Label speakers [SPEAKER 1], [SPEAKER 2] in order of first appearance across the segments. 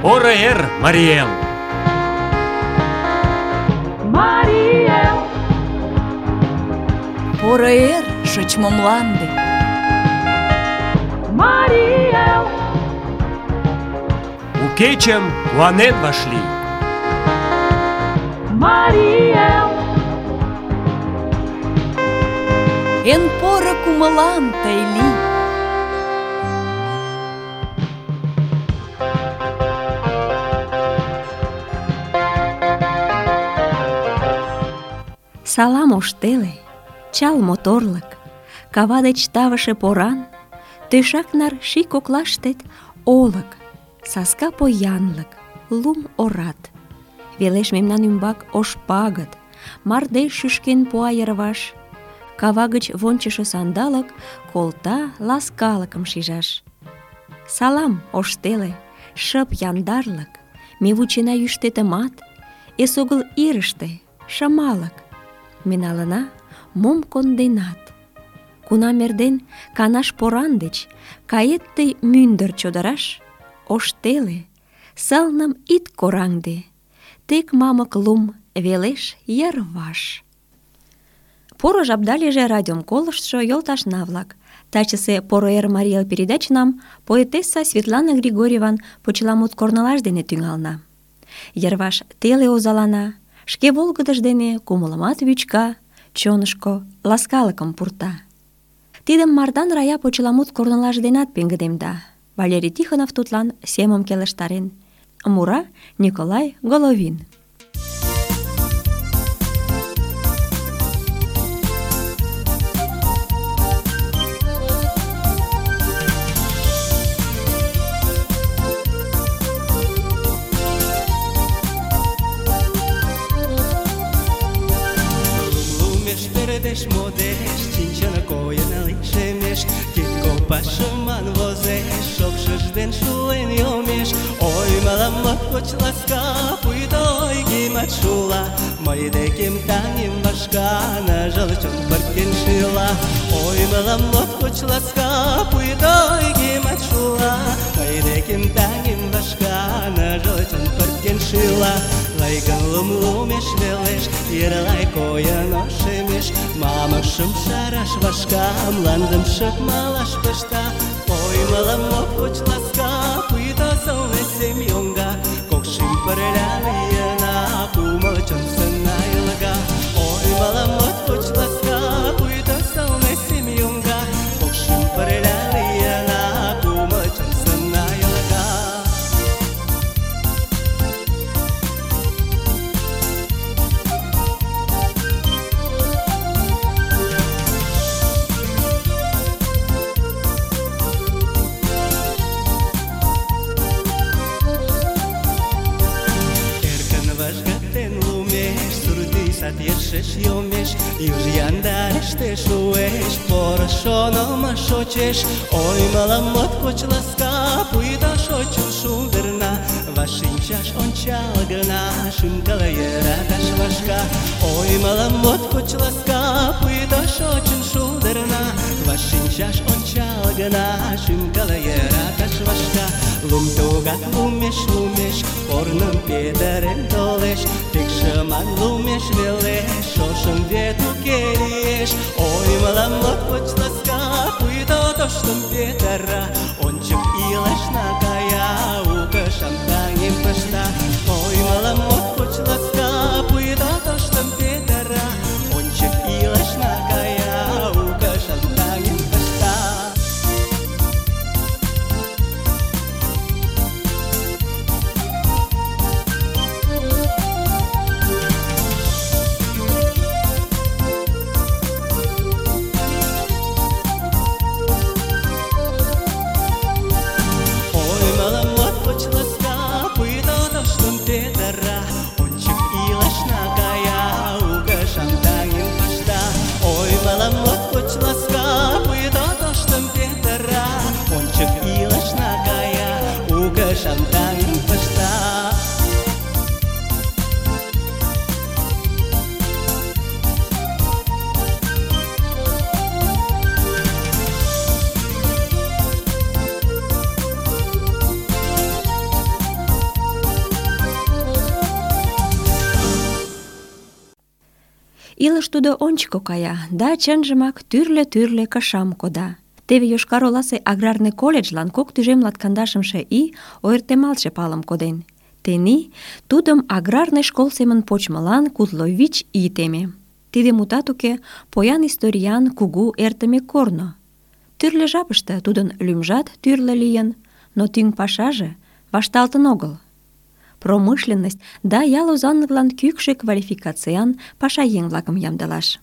[SPEAKER 1] Поро эр, Марий Эл!
[SPEAKER 2] Марий Эл!
[SPEAKER 3] Поро эр, шочмо мланде!
[SPEAKER 2] Марий Эл!
[SPEAKER 1] У кечым куанен вашлий!
[SPEAKER 2] Марий Эл!
[SPEAKER 3] Эн поро кумылан тый лий!
[SPEAKER 4] Салам ош теле, чал моторлык, кава деч тавыше поран, тӧшак нар ший коклаштет олык, саска поянлык, лум орат. Велеш мемнан ӱмбак ош пагыт, мардеж шӱшкен пуа йырваш, кава гыч вончышо сандалык колта ласкалыкым шижаш. Салам, ош теле, шып яндарлык, ме вучена йӱштетымат, эсогыл ирыште шымалык. Ме налына, мом конденат. Кунам эрден канаш поран деч кает тый мӱндыр чодыраш, ош теле, сылным ит кораҥде, тек мамык лум велеш йырваш. Поро жапда лийже радиом колыштшо йолташна-влак. Тачысе «Поро эр, Марий Эл» передачынам поэтесса Светлана Григорьеван почеламут корнылаш дене тӱҥална. Йырваш теле озалана, шке волгыдыж дене кумылымат вӱчка, чонышко ласкалыкым пурта. Тидым Мардан Рая почеламут корнылаж денат пеҥгыдемда. Валерий Тихонов тудлан семым келыштарен. Мура Николай Головин.
[SPEAKER 5] Модеш, чинчана койын лишемеш, титко пашыман возеш, шокшыж ден шулен йомеш. Ой, мылам моткоч ласка, пуйто ойгемат шула, мый декем таҥем вашка, ныжыл чон пырткен шӱла. Ой, мылам моткоч ласка, пуйто ойгемат шула, мый декем таҥем вашка, ныжыл чон пырткен шӱла. Лайгын лум лумеш велеш, йырлай койын ошемеш, мамыкшым шараш вашка, мландым шып малаш пышта. Ой, мылам моткоч ласка, пуйто сылне сем йоҥга, кок шӱм пырля лийына, кумыл чон сына йылга. Ой, мылам моткоч ласка, пуйто сылне сем йоҥга, кок шӱм пырля лийына, кумыл чон сына йылга. Йыршеш йомеш, юж яндарыште шуэш, поро шонымо шочеш. Ой, мылам моткоч ласка, пуйто шочын шулдырна, вашинчаш ончал гына, шӱм-кыл йӧраташ вашка. Ой, мылам моткоч ласка, пуйто шочын шулдырна, вашинчаш ончал гына, шӱм-кыл йӧраташ вашка. Лум тугак лумеш, корным петырен толеш, тек шыман лумеш велеш, шошым вет уке лиеш. Ой, мылам моткоч ласка, пуйто тоштым петыра, ончык илышна кая, укышым таҥем пышта. Ой, мылам моткоч ласка, пуйто тоштым петыра, ончык илышна кая, укышым таҥем пышта. Шантаҥем пышта.
[SPEAKER 4] Илыш тудо ончыко кая, да чынжымак тӱрлӧ-тӱрлӧ кышам кода. Теве Йошкар-Оласе аграрный колледжлан 2015 ий ойыртемалтше палым коден. Тений тудым аграрный школ семын почмылан 45 ий теме. Тиде, мутат уке, поян историян кугу эртыме корно. Тӱрлӧ жапыште тудын лӱмжат тӱрлӧ лийын, но тӱҥ пашаже вашталтын огыл. Промышленность да ял озанлыклан кӱкшӧ квалификациян пашаеҥ-влакым ямдылаш.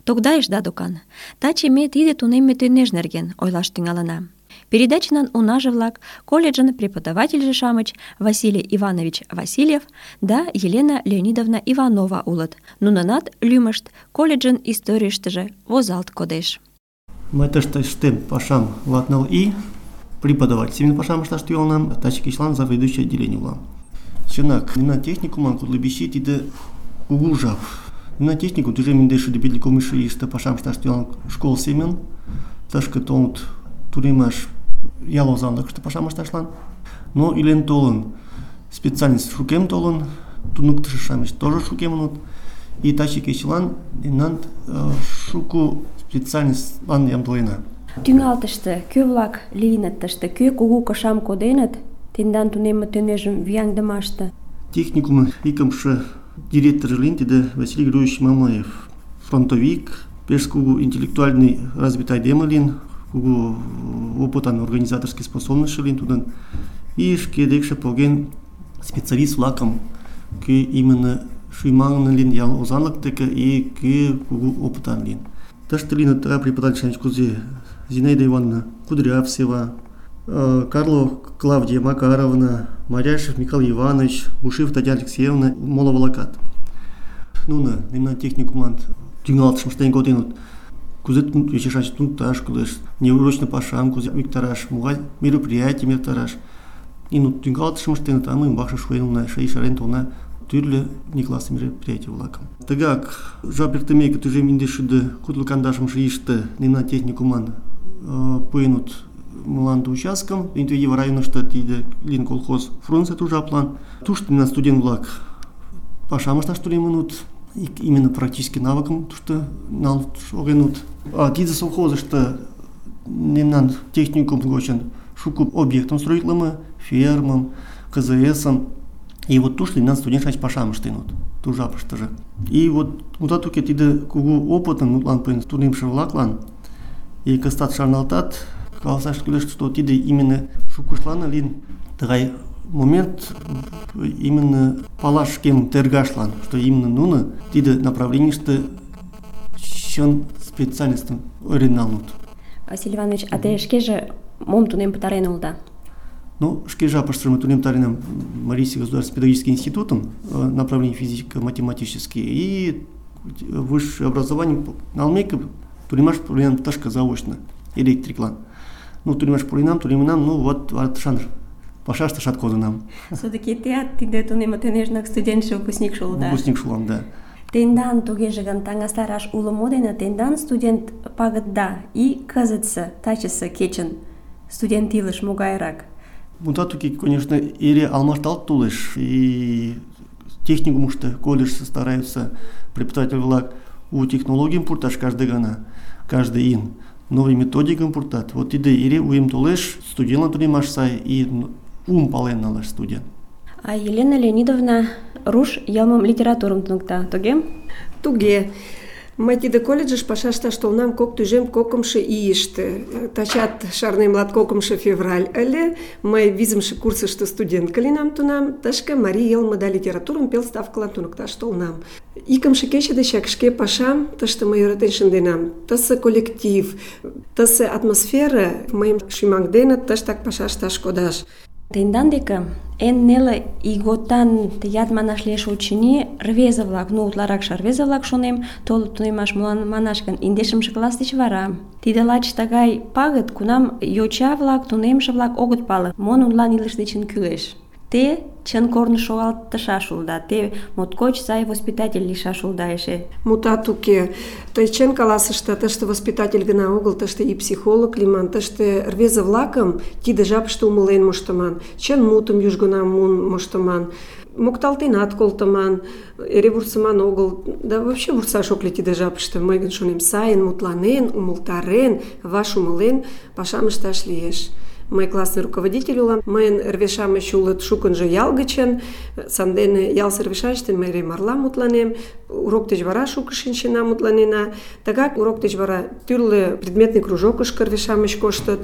[SPEAKER 4] Тогдайышда докан. Таче ме тиде тунемме тӱнеж нерген ойлаш тӱҥалына. Передачынан унаже-влак, колледжын преподавательже-шамыч Василий Иванович Васильев да Елена Леонидовна Иванова улыт. Нунынат лӱмышт колледжын историйыштыже возалт кодеш.
[SPEAKER 6] Мый тыште ыштем пашам 24 ий, преподаватель семын пашам ышташ тӱҥалынам, таче кечылан заведующий отделение улам. Чынак, мемнан техникумлан 45 ий тиде кугу жап. Мемнан техникум тӱжем индеш шӱдӧ 50 ийыште пашам ышташ тӱҥалын школ семын, тышке толыт тунемаш ял озанлыкыште пашам ышташлан. Но илен толын, специальность шукем толын, туныктышо-шамыч тоже шукемыныт. И таче кечылан мемнан шуко специальностьлан ямдылена.
[SPEAKER 4] Тӱҥалтыште кӧ-влак лийыныт тыште, кӧ кугу кышам коденыт тендан тунемме тӱнежым вияҥдымаште?
[SPEAKER 6] Техникум икымше директоржо лийын тиде Василий Григорьевич Мамаев. Фронтовик, пеш кугу интеллектуальный развитый айдеме лийын, кугу опытан организаторский способностьшо лийын тудын. И шке декше поген специалист-влакым, кӧ именно шӱмаҥын лийын ял озанлык деке и кӧ кугу опытан лийын. Тыште лийыныт преподаватель кузе Зинаида Ивановна Кудрявцева, Карлова Клавдия Макаровна, Маряшев Михаил Иванович, Бушев Татьяна Алексеевна, моло-влакат. Нуно мемнан техникумлан тӱҥалтышым ыштен коденыт. Кузе ечешаш туныкташ кӱлеш, неурочный пашам кузе виктараш, могай мероприятийым эртараш. И тӱҥалтышым ыштеныт, а мый умбакше шуен улына, эше ешарен толына тӱрлӧ внеклассный мероприятий-влакым. Тыгак жап эртымеке тӱжем индеш шӱдӧ кудло кандашымше ийыште мемнан техникумлан пуэныт мланде участкым, Интуитив районышто тиде лийын колхоз Фрунзе ту жаплан. Тушто мемнан студент-влак пашам ышташ тунемыныт, именно практический навыкым тушто налын шогеныт. Тиде совхозышто мемнан техникум гочын шуко объектым строитлыме, фермым, КЗС-ым. И вот тушто мемнан студент-шамыч пашам ыштеныт ту жапыштыже. И вот мутат уке тиде кугу опытым мутлан пуэн тунемше-влаклан и кызытат шарналтат, каласаш кӱлеш, что тиде именно шукыштлан лийын тыгай момент именно палаш шкем тергашлан, что именно нуно тиде направленийыште чын специалистым ойырен налыныт.
[SPEAKER 4] Василий Иванович, а те шкеже мом тунем пытарен улыда?
[SPEAKER 6] Ну, шке жапыштыже мый тунем пытаренам Марийский государственный педагогический институтым, направление физико-математический, и высшее образование налмеке тунемаш пуренам тышке заочно, электриклан. Ну, тунемаш тунемынам, ну, вот шанр пашаш тышат кодынам.
[SPEAKER 4] Все-таки теат тиде тунемме тӱнежнак студентше, выпускникше улыда?
[SPEAKER 6] Выпускникше улам, да.
[SPEAKER 4] Тендан тугеже гын таҥастараш уло мо дене тендан студент пагытда и кызытсе, тачысе кечын студент илыш могайрак?
[SPEAKER 6] Мутат уке, конечно, эре алмашталт толеш, и техникумышто, колледжыште стараются преподаватель-влак у технологийым пурташ каждый гана, каждый ин. Новый методикым пуртат. Вот тиде эре уэм толеш, студентлан тунемаш сай и ум пален налаш студент.
[SPEAKER 4] А Елена Леонидовна руш йылмым литературым туныкта, туге?
[SPEAKER 7] Туге. Мый тиде колледжыш пашаш ышташ толынам 2002 ийыште. Тачат шарнем 2 февраль ыле. Мый 5-ше курсышто студентка лийынам тунам. Тышке марий йылме да литературым пел ставкылан туныкташ толынам. 2-ше кече дечак шке пашам тыште мый йӧратен шынденам. Тысе коллектив, тысе атмосфера мыйым шӱмаҥденыт тыштак паша ышташ кодаш.
[SPEAKER 4] Тендан деке эн неле ийготан тыят манаш лиеш, очыни, рвезе-влак, ну утларакше рвезе-влак шонем, толыт тунемаш, молан манаш гын, 10-ше класс деч вара. Тиде лач тыгай пагыт, кунам йоча-влак, тунемше-влак огыт пале, мо нунылан илыш дечын кӱлеш. Те чын корныш шогалтышаш улыда, те моткоч сай воспитатель лийшаш улыда эше.
[SPEAKER 7] Мутат уке. Тый чын каласышда, тыште воспитатель гына огыл, тыште и психолог лийман, тыште рвезе-влакым тиде жапыште умылен моштыман, чын мутым южгунам муын моштыман, мокталтенат колтыман, эре вурсыман огыл, да вообще вурсаш ок лий тиде жапыште. Мый гын шонем, сайын мутланен, умылтарен, ваш умылен, пашам ышташ лиеш. Мый классный руководитель улам, мыйын рве-шамыч улыт шукынжо ял гычын, сандене ялысе рве-шамычтен мый эре марла мутланем, урок деч вара шуко шинчена, мутланена. Тыгак урок деч вара тӱрлӧ предметный кружокышко рве-шамыч коштыт.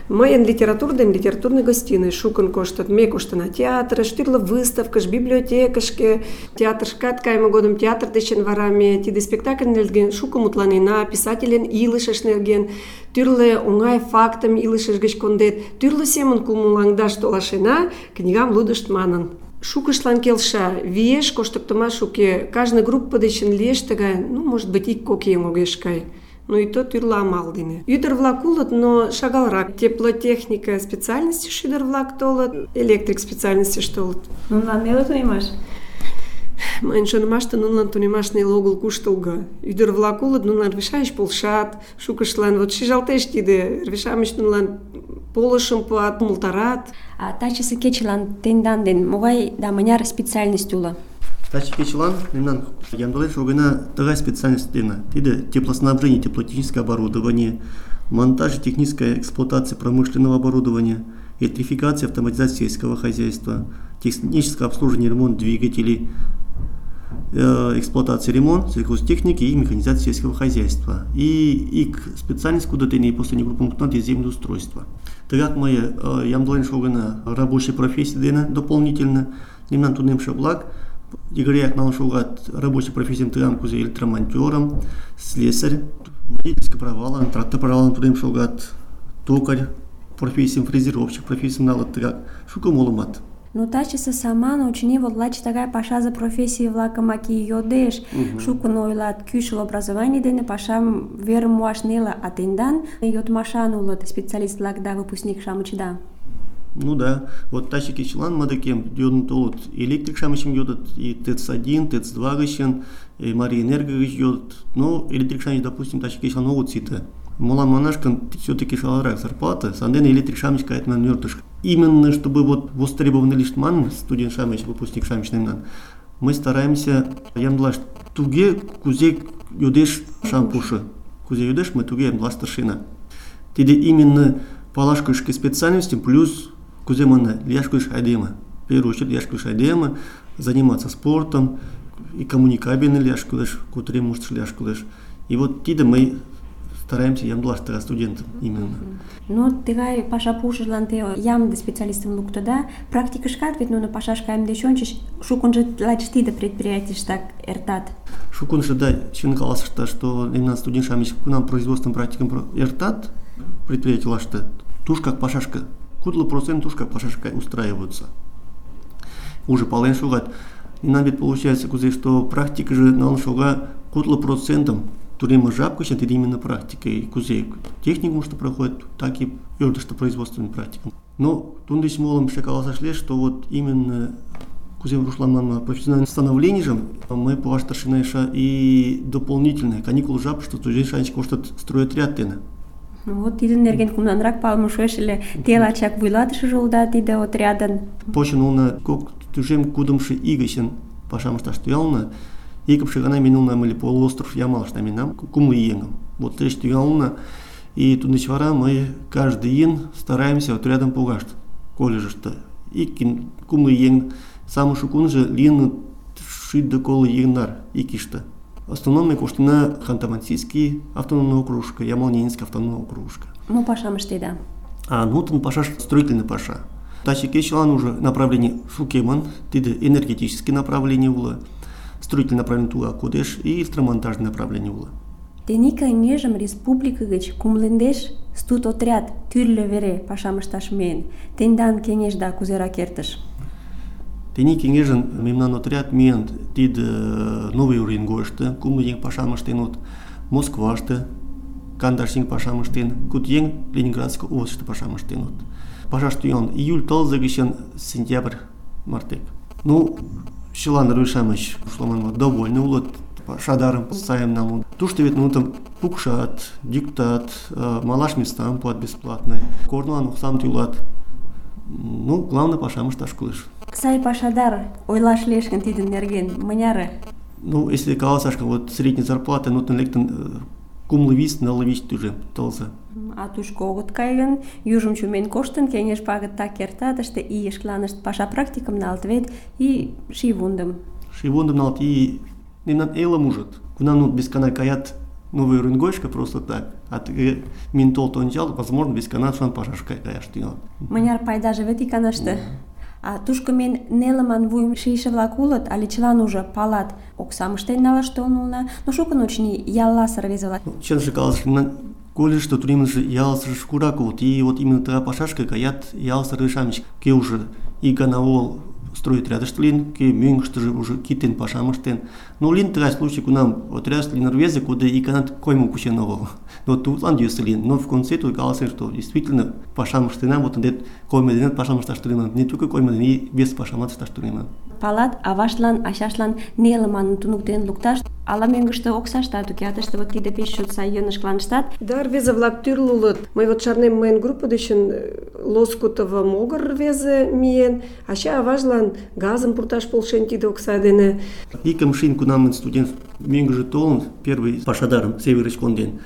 [SPEAKER 7] Мыйын литератур ден литературный гостиный шукын коштыт. Ме коштына театрыш, тӱрлӧ выставкыш, библиотекышке. Театрышкат кайыме годым театр дечын вара ме тиде спектакль нерген шуко мутланена, писательын илышыш нерген, тӱрлӧ оҥай фактым илышыж гыч кондет, тӱрлӧ семын кумылаҥдаш толашена, книгам лудышт манын. Шукыштлан келша, виеш коштыктымаш уке, кажне группа дечын лиеш тыгай, может быть, ик-кок еҥ огеш кай. Ну и то тӱрлӧ амал дене. Ӱдыр-влак улыт, но шагалрак. Теплотехника специальностьыш ӱдыр-влак толыт, электрик специальностьыш толыт.
[SPEAKER 4] Нунылан неле тунемаш?
[SPEAKER 7] Мыйын шонымаште нунылан тунемаш неле огыл, куштылго. Ӱдыр-влак улыт, нунылан рве-шамыч полшат, шукыштлан вот шижалтеш тиде, рве-шамыч нунылан полышым пуат, умылтарат.
[SPEAKER 4] А тачысе кечылан тендан ден могай да мыняр специальность уло?
[SPEAKER 6] Таче кечылан мемнан ямдылен шогына тыгай специальность дене. Тиде теплоснабжение, теплотехническое оборудование, монтаж и техническая эксплуатация промышленного оборудования, электрификация, автоматизация сельского хозяйства, техническое обслуживание, ремонт двигателей, эксплуатация, ремонт сельхозтехники и механизация сельского хозяйства. И специальность, куда ты не после него пунктов землеустройства. Тыгак мы ямдылен шогына рабочей профессии дене дополнительно. Мемнан тунем шаблак. Игоряк налшугат рабочий профессиям тыгам кузе электромонтером, слесарь, водительское правало, трактор правало тудем шугат, токарь, профессиям фрезеровщик, профессиям налат тыгак, шука молумат.
[SPEAKER 4] Ну тачысе саман очыни вот лач тыгай пашазе профессий-влакым аки йодеш, шукын ойлат, кӱшыл образований дене пашам верым муаш неле, а тендан йодмашан улыт специалист-влак да выпускник-шамычда.
[SPEAKER 6] Ну да, вот таче кечылан мадыкем йодын толыт, электрик-шамычым йодыт, и ТЭЦ-1, ТЭЦ-2 гычын, и Мария Энерго гыч йодыт. Но электрик-шамыч, допустим, таче кечылан огыт сите. Молан манашкан все-таки шаларак зарплата, сандене электрик-шамыч кайтман мёртыш. Именно чтобы вот востребованный лишь ман студент-шамыч, выпускник-шамыч немнан, мы стараемся ямдлаш туге кузе йодеш шампуши. Кузе йодеш мы туге ямдлаш старшина. Тиде именно палашкышки специальности плюс кузе мана ляшкыш айдема. В первую очередь ляшкыш айдема, заниматься спортом и коммуникабельный ляшкылыш, кутре муштыш ляшкылыш. И вот тиде мы стараемся ямдлаш тыга студентам именно.
[SPEAKER 4] Ну, тыгай паша пушыжлан те ямде специалистым луктыда, практикышкат вет нуно пашаш кайым деч ончыч шукынжо лач тиде предприятийыштак эртат.
[SPEAKER 6] Шукынжо да, чын каласышта, что именно студент-шамыч кунам производством практикам эртат, предприятийлашты, туш как пашашка, кудлы процент туш как пашашка устраиваются. Уже пален шугат. И нам ведь получается, кузе, что практика же налын шуга кудлы процентом турема жабка, это именно практика. И кузе техникум, что проходит, так и что производственная практика. Но тундыч молом шакаласа шле, что вот именно кузе рушлан профессиональное становление же, мы по старшина и дополнительные каникулы жаб, что студент шанчик может строить ряд тена.
[SPEAKER 4] Вот тидын нерген кумнанрак палыме шуэш ыле, те лачак вуйлатышыжо улыда тиде отрядын.
[SPEAKER 6] Починулна кок тӱжем кудымшо ий гычын пашам ышташ тӱҥална. Икымше гана минулна ыле полуостров Ямалыште минам, кумло еҥым. Вот трэш тӱҥална, и туддеч вара мы каждый ийын стараемся отрядым погаш колледжыште. Ик кумло еҥ, самый шукунжо лийыныт 60 еҥнар ик ийыште. В основном мы коштына Ханты-Мансийский автономный округышко, Ямал-Ненецкий автономный округышко.
[SPEAKER 4] Ну, пашам ыштеда.
[SPEAKER 6] Нутын пашаш строительный паша. Таче кечылан уже направление шукеман, тиде энергетические направления улы, строительное направление туга кодеш и электромонтажное направление улы.
[SPEAKER 4] Тений каҥгежым республика гыч кумлендеш студ отряд тӱрлӧ вере пашам ышташ миен. Тендан кеҥежда кузерак эртыш?
[SPEAKER 6] Тений кеҥежын мемнан отряд миен тиде Новый Уренгойышто, кумло еҥ пашам ыштенут, Москваште, кандаш еҥ пашам ыштен, куд еҥ Ленинградской областьыште пашам ыштенут. Пашаш тӱҥалын июль тылзе гычын сентябрь мартек. Ну, чылан рвеж-шамыч ушла довольны улыт, пашадарым сайым налын. Тушто вет нуным пукшат, диктат, малаш местам пуат бесплатно, корнылан оксам тӱлат. Ну, главное, пашам ышташ кӱлеш.
[SPEAKER 4] Сай пашадар ойлаш лиеш гын тидын нерген мыняре?
[SPEAKER 6] Ну, если каласаш, вот средняя зарплата, нутын лектын кумлы-вист, ныллы-вист тӱжем тылзе.
[SPEAKER 4] А тушко огыт кай гын, южым чумен коштын, кеҥеж пагыт так эрта, тыште ий шкаланышт паша практикым налыт вет и шийвундым.
[SPEAKER 6] Шийвундым налыт и мемнан элым ужыт. Кунам нут бескана каят новый рынгойшка просто так. А мин толт ончал, возможно, бескана шуан пашаш каяш тӱҥалыт.
[SPEAKER 4] Мыняр пайдаже вет иканаште. А тушко мен нелыман вуйым шийше-влак улыт, але чылан уже палат, оксам ыштен налаш толын улына, но шукын, очыни, ялласе рвезе-влак.
[SPEAKER 6] Чынже каласаш, мемнан колледжышто тунемше ялысе шкурак улыт, и вот именно тыгай пашашке каят ялысе рвеж-шамыч, кӧ уже икана огыл стройотрядыште лийын, кӧ мӧҥгыштыжӧ уже китен пашам ыштен. Но лийын тыгай случай, кунам отрядыште лийын рвезе, куде иканат коймым кучен огыл. Но тудлан йӧсӧ лийын. Но в конце тудо каласен, что действительно пашам ыштенам, вот ынде коймо денат пашам ышташ тунемам. Не только коймо дене, и вес пашамат ышташ тунемам.
[SPEAKER 4] Палат, аваштлан, ачаштлан нелыман туныктен лукташ, ала мӧҥгыштӧ оксаштат уке, а тыште вот тиде пеш чот сай йӧнышкланыштат.
[SPEAKER 7] Да, рвезе-влак тӱрлӧ улыт. Мый вот шарнем, мыйын группа дечын Лоскутово могыр рвезе миен, ача-аважлан газым пурташ полшен тиде окса дене.
[SPEAKER 6] Икымшин, кунам студент мӧҥгыжӧ толын, первый пашадарым Северыч конден,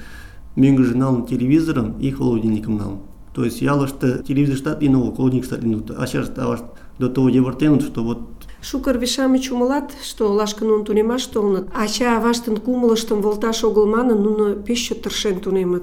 [SPEAKER 6] мӧҥгыжӧ налын телевизорым и холодильникым налын. То есть ялыште телевизорыштат лийын огыл, холодильникыштат лийын, ачашт, авашт до того йывыртеныт, что вот
[SPEAKER 7] Шуко рвеж-шамыч умылат, что олашке нуно тунемаш толыныт. Ача-аваштын кумылыштым волташ огыл манын, нуно пеш чот тыршен тунемыт.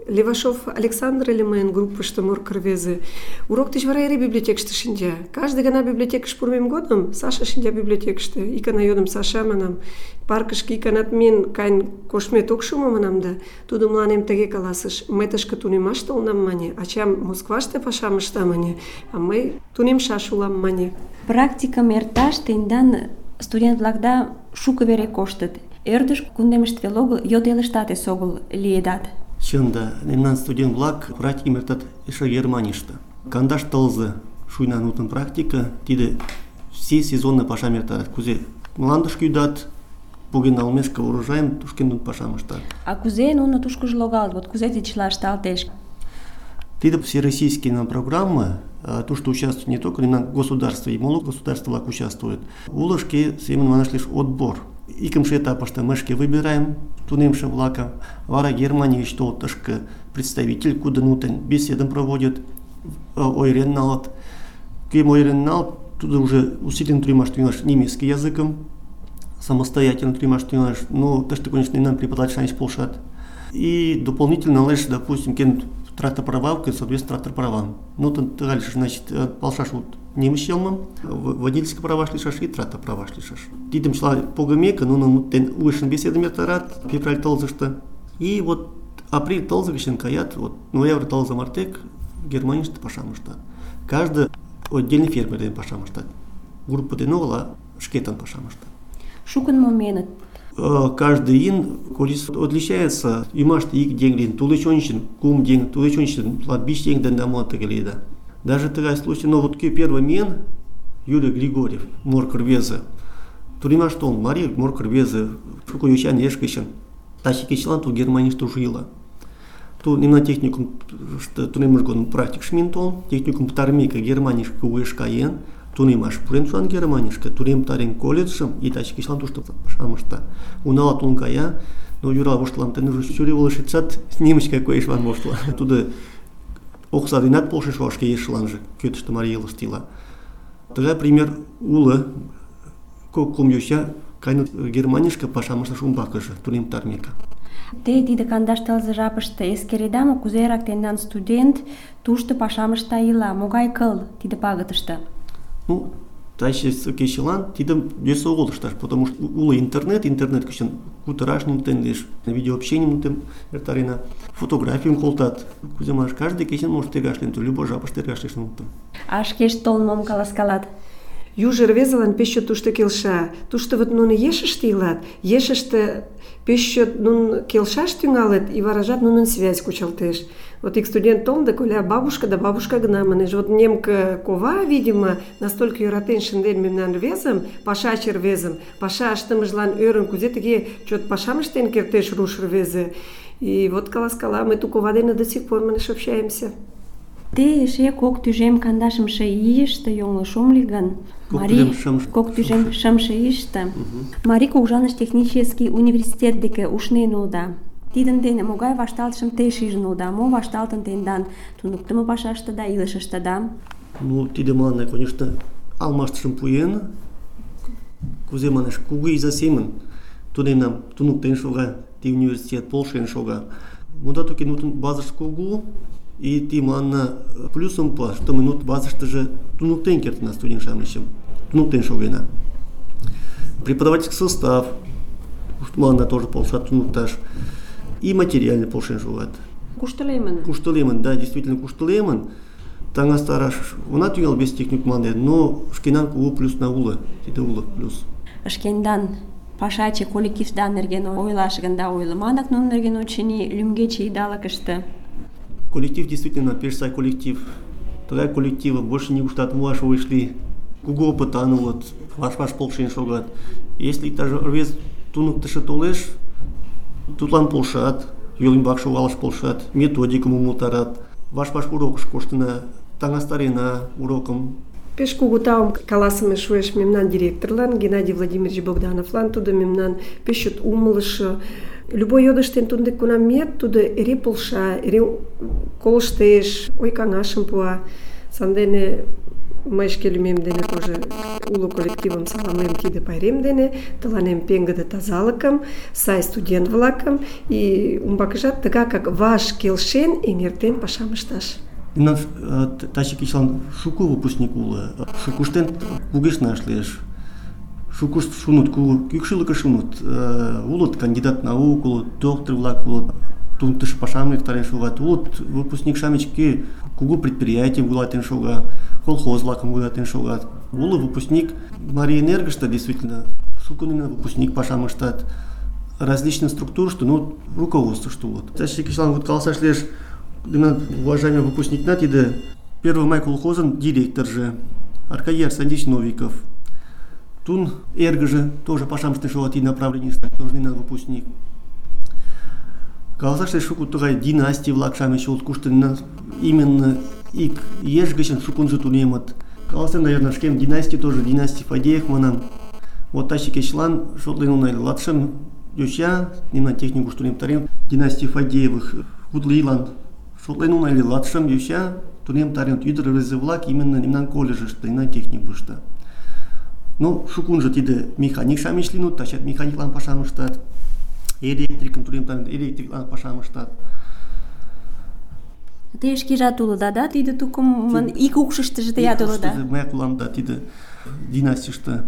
[SPEAKER 7] Левашов Александр ыле мыйын группышто морко рвезе. Урок деч вара эре библиотекыште шинча. Каждый гана библиотекыш пурымем годым Саша шинча библиотекыште. Икана йодым: Саша, манам, паркышке иканат миен каен коштмет ок шу мо, манам да. Тудо мыланем тыге каласыш: мый тышке тунемаш толынам, мане, ачам Москваште пашам ышта, мане, а мый тунемшаш улам, мане.
[SPEAKER 4] Практикым эрташ тендан студент-влакда шуко вере коштыт. Ӧрдыж кундемыште веле огыл, йот элыштат эсогыл лиедат.
[SPEAKER 6] Чын да, мемнан студент-влак практикым эртат эше Германийыште. Кандаш тылзе шуйна нутын практика, тиде все сезонный пашам эртат. Кузе мландышке ӱдат, поген налмешке урожайым тушкен нуно пашам ыштат.
[SPEAKER 4] А кузе нуно тушкыжо логалыт? Вот кузе тиде чыла ышталтеш?
[SPEAKER 6] Тиде всероссийские программы, тушто участвуют не только государства, и моло государства участвуют. Уло шке семын манаш лишь отбор. Икымше этапыште мы шке выбираем тунемше-влакым, вара Германия гыч толыт тышке представитель, куды нутен беседым проводит, ойырен налыт. Кӧм ойырен налыт, тудо уже усиленно тунемаш тӱҥалеш немецкий языкым, самостоятельно тунемаш тӱҥалеш. Но тыште, конечно, мемнан преподаватель-шамыч полшат. И дополнительно налеш, допустим, кен трактор-правам, соответственно, трактор-правам. Ну, тыгай лишаш, значит, полшаш вот немыч йылмым, водительский праваш лишаш и трактор праваш лишаш. Тидым чыла погымеке, нунын уэшын беседым эртарат, февраль тылзыште. И вот апрель тылзе гычын каят, вот ноябрь тылзе мартек Германийыште пашам ыштат. Каждый отдельный фермер дене пашам ыштат. Группа дене огыл, а шкетын пашам ыштат.
[SPEAKER 4] Шукын моменыт.
[SPEAKER 6] Каждый ин количество отличается. Ӱмаште ик еҥ лийын, тулеч ончычын кум еҥ, тулеч ончычын латвич еҥ дене ала тыге лиеда. Даже тыгай случай, но вот кӧ первый миен, Юрий Григорьев, морко рвезе. Тунемаш толын, марий морко рвезе, шуко йочан еш гычын. Таче кечылан тул Германийыште уже ила. Тул мемнан техникум тунеммыж годым практикыш миен толын, техникум пытарымеке Германийышке уэш каен, тунемаш пурен шуан Германийышке, тунем пытарен колледжшым, и таче кечылан тушто пашам ышта. Унала толын кая, но Юра воштылам, тен уже чуреволыш ицат, немычка коешлан воштыла. Тудо окса денат полшыш шке ешыланже, кӧтыштӧ марий элыште ила. Тыгай пример уло, кум йоча кайныт Германийышке пашам ышташ умбакыже, тунем пытарымеке.
[SPEAKER 4] Те тиде кандаш тылзе жапыште эскереда мо, кузерак тендан студент тушто пашам ышта ила, могай кыл тиде пагытыште?
[SPEAKER 6] Ну, таче кечылан тидым йӧсӧ огыл ышташ, потому что уло интернет гычын кутыраш нутен лиеш, видеообщенийым нутен эртарена, фотографийым колтат. Кузе манаш, каждый кечын может тергаш лийын, любой жапыште тергаш лиеш нутен.
[SPEAKER 4] А шкешт толын мом каласкалат?
[SPEAKER 7] Южо рвезылан пеш чот тушто келша. Тушто вот нуно ешыште илат, ешыште пеш чот нуно келшаш тӱҥалыт, и варажат нунын связь кучалтеш. Вот ик студент толын да коля бабушка да бабушка гына манеш. Вот немка кова, видимо, настолько йӧратен шынден мемнан рвезым, пашаче рвезым, паша ыштымыжлан ӧрын, кузе тыге чот пашам ыштен кертеш руш рвезе. И вот каласкала, мы ту кова дене до сих пор манеш общаемся.
[SPEAKER 4] Те эше кок тӱжем кандашымше ийыште йоҥылыш ом лий гын, кок тӱжем шымше ийыште Марий кугыжаныш технический университет деке ушнен улыда. Тидын дене могай вашталтышым те шижын улыда, мо вашталтын тендан туныктымо пашаштыда, илышыштыда?
[SPEAKER 6] Ну, тиде мыланна, конечно, алмаштышым пуэн, кузе манеш, кугу иза семын тунемнам туныктен шога, ти университет полшен шога. Муда туки нутын базыш кугу, и ти мыланна плюсом па, что мы нут базыштыже туныктен кертына студент-шамычым, туныктен шогена. Преподавательский состав, мыланна тоже полшат тунукташ, и материально полшен шогат. Куштылемын, да, действительно куштылемын. Таңа стараш, она тюнял без техник мланде, но шкенан кугу плюс на улы, тиде улы плюс.
[SPEAKER 4] Шкендан пашаче коллективда нерген ойлаш гында ойлымадак, нунын нерген очыни лӱмгече идалыкыште.
[SPEAKER 6] Коллектив действительно пеш сай коллектив. Тыгай коллективы больше не гуштат муаш вышли. Кугу опытан улыт, ваш-ваш полшен шогат. Если даже рвез туныктышы толеш, тудлан полшат, йол ӱмбак шогалаш полшат, методикым умылтарат. Ваш-ваш урокыш коштына, таҥастарена урокым.
[SPEAKER 7] Пеш кугу таум каласыме шуэш мемнан директорлан, Геннадий Владимирович Богдановлан, тудо мемнан пеш чот умылышо. Любой йодыштен туддек кунам миет, тудо эре полша, эре колыштеш, ой-каҥашым пуа. Сандене мый шке лӱмем дене тоже уло коллективым саламлем тиде пайрем дене, тыланем пеҥгыде тазалыкым, сай студент-влакым и умбакыжат тыгакак ваш келшен эҥертен пашам ышташ.
[SPEAKER 6] Мемнан таче кечылан шуко выпускник уло, шукыштен кугешнаш лиеш. Шукышт шунут, кӱкшылыкыш шунут. Улыт кандидат наук, улыт доктор-влак, улыт туныктышо пашам эртарен шогат, улыт выпускник-шамыч кӧ кугу предприятийым вуйлатен шога, колхоз-влакым вуйлатен шогат. Уло выпускник Марий Энергыште действительно шуко выпускник пашам ыштат. Различные структурышто, ну, руководствышто улыт. Таче кечылан вот каласаш лиеш, уважаемый выпускникна тиде 1 май колхозын директоржы Аркадий Арсеньевич Новиков. Тун эргыже тоже пашам ыштен шогат и направленийыште, тоже нина выпускник. Каласаш лиеш шуко тугай династий-влак-шамыч улыт, кушто именно ик еш гычын шукынжо тунемыт. Каласем, наверное, шкем династий тоже, династий Фадеев манам. Вот таче кечылан шотлен унай латшым йоча, нина техникуш тунемтарен, династий Фадеевых хутлыйлан шотлен унай латшым йоча тунемтарен ӱдыр рвезе-влак именно мемнан колледжыште, мемнан техникушто. Ну, шукунжо тиде механик-шамыч лийыныт, тачат механиклан пашам ыштат, электрикым тунемтарен, электриклан пашам ыштат.
[SPEAKER 4] Те шкежат улыда, да, тиде тукымын ик укшыштыжо теат улыда?
[SPEAKER 6] Мыят улам, да, тиде династийыште.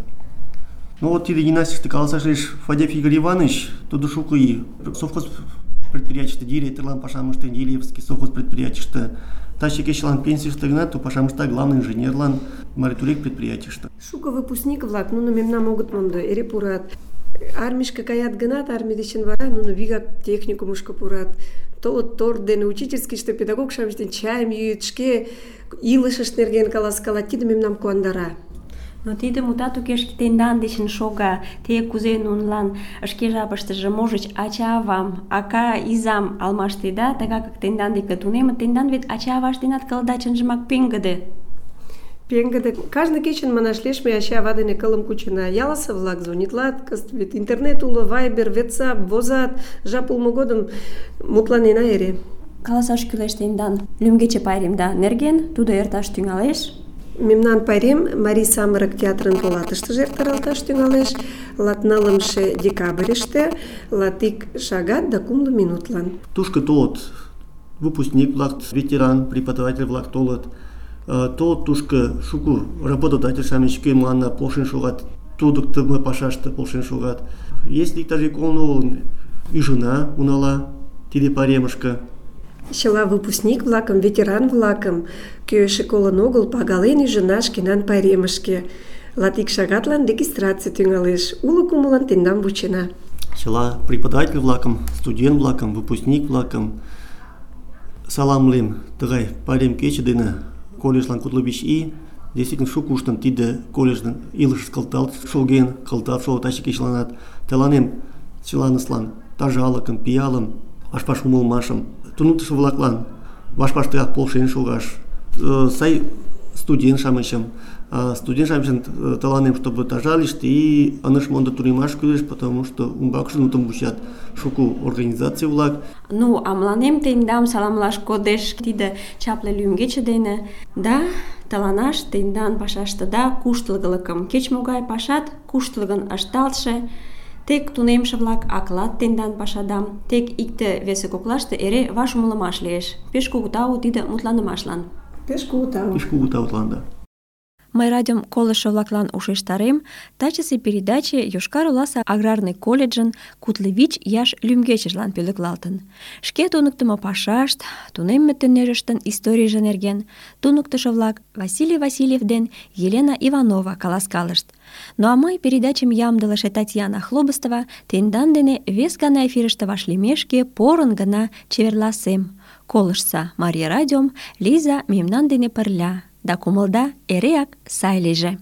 [SPEAKER 6] Ну вот тиде династийыште каласаш лиеш Фадеев Игорь Иванович, тудо шуко ий совхоз предприятийыште директорлан пашам ыштен, Елевский совхоз предприятийыште. Таче кечылан пенсийыште гына ту пашам ышта главный инженерлан Маритурек предприятийыште.
[SPEAKER 7] Шуко выпускник-влак, нуно мемнам огыт мондо, эре пурат. Армийышке каят гынат, армий дечын вара нуно вигак техникумышко пурат. Толыт торт дене учительскийыште педагог-шамыч дене чайым йӱыт, шке илышышт нерген каласкалат, тиде мемнам куандара.
[SPEAKER 4] Но тиде мутат уке тендан дечын шога, те кузе нунылан шке жапыштыже можыч ача-авам, ака изам алмаштеда, тыгакак тендан деке тунемыт, тендан вет ача-авашт денат кылыда чынжымак пеҥгыде.
[SPEAKER 7] Пеҥгыде. Кажне кечын манаш лиеш, ме ача-ава дене кылым кучена. Ялысе-влак звонитлат, кызыт вет интернет уло, Вайбер, WhatsApp, возат, жап улмо годым мутланена эре.
[SPEAKER 4] Каласаш кӱлеш тендан лӱмгече пайремда нерген, тудо эрташ тӱҥалеш.
[SPEAKER 7] Мемнан пайрем Марий самырык театрын полатыштыже эртаралташ тӱҥалеш 14 декабрьыште, 1 шагат да 2 минутлан.
[SPEAKER 6] Тушко толыт выпускник-влак, ветеран, преподаватель-влак толыт. Толыт тушко шуко работодатель-шамыч кӧ мыланна полшен шогат, тудыктымо пашаште полшен шогат. Если иктаж коло ӱжына унала тиде пайремышке.
[SPEAKER 7] Чыла выпускник-влакым, ветеран-влакым, кӧ эше колын огыл, пагален ӱжына шкенан пайремышке. 1 шагатлан регистраций тӱҥалеш. Уло кумылын тендам вучена.
[SPEAKER 6] Чыла преподаватель-влакым, студент-влакым, выпускник-влакым саламлем тыгай пайрем кече дене колледжлан 45 ий. Действительно шукуштын тиде колледждын илыш кылталт шоген, кылталт шого таче кечыланат. Тыланем чыланыслан тазалыкым, пиалым, ваш-ваш умылымашым, туныктышо-влаклан ваш-ваш тыгак полшен шогаш, сай студент-шамычым, студент-шамычын тыланем, чтобы тазалишт и ыныш мондо тунемаш кӱлеш, потому что умбакыже нуным вучат шуко организаций-влак.
[SPEAKER 4] Ну, а мыланем тендам саламлаш кодеш тиде чапле лӱмгече дене. Да, тыланаш тендан пашаштыда куштылгылыкым, кеч-могай пашат куштылгын ышталтше, тек тунемше-влак аклат тендан пашадам, тек икте-весе коклаште эре ваш умылымаш лиеш. Пеш кугу тау тиде мутланымашлан.
[SPEAKER 7] Пеш кугу тау.
[SPEAKER 6] Пеш кугу таутлан, да.
[SPEAKER 4] Мый радиом колышо-влаклан ушештарем, тачысе передаче Йошкар-Оласе аграрный колледжын 45 ияш лӱмгечыжлан пӧлеклалтын. Шке туныктымо пашашт, тунемме төнӧрыштын историйже нерген туныктышо-влак Василий Васильев ден Елена Иванова каласкалышт. Ну а мый передачым ямдылыше Татьяна Хлобыстова тендан дене вес гана эфирыште вашлиймешке порын гына чеверласем. Колыштса Мария радиом, Лиза мемнан дене пырля. Да кумылда эреак сай лийже.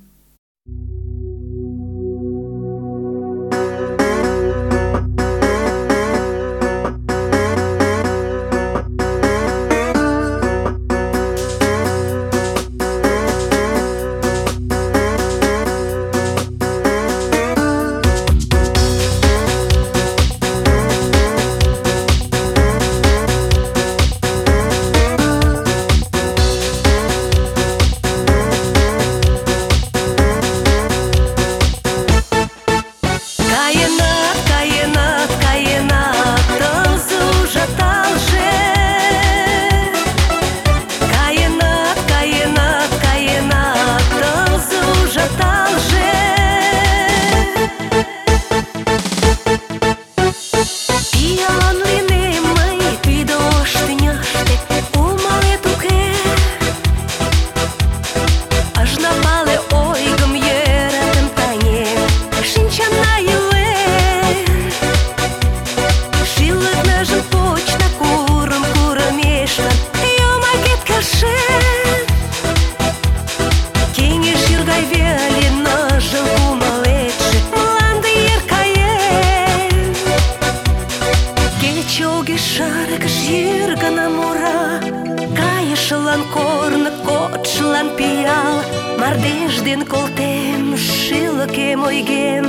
[SPEAKER 8] Мардеж ден колтем, шӱлыкем ойгем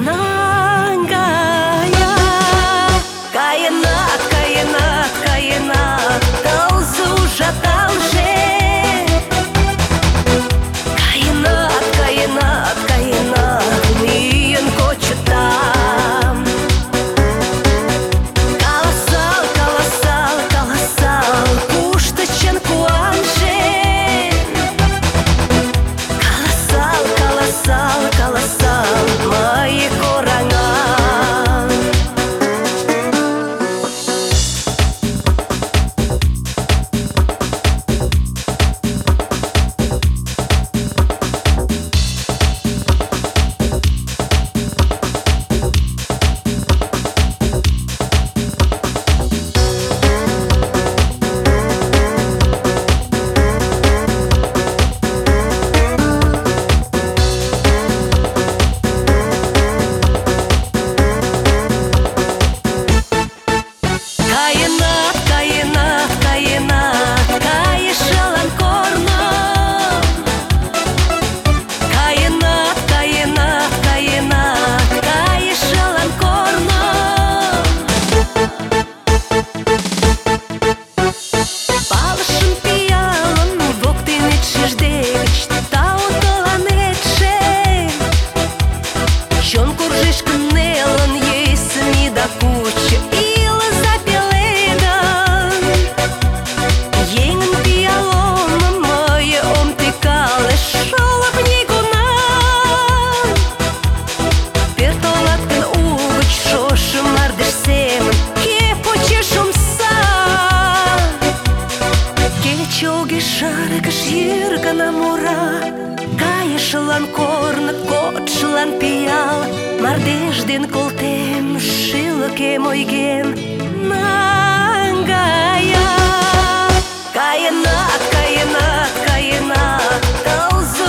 [SPEAKER 8] наҥгая. Каенат, каенат, каенат, тылзе ужаталже. Каенат, каенат, каенат, миен кочетам. Каласал, каласал, каласал, кушто чын куанже. Каласал, каласал, мые кораҥа. Кайышлан корно, кодшлан пиал, мардеж ден колтем, шӱлыкем ойгем наҥгая. Каенат, каенат, каенат, тылзе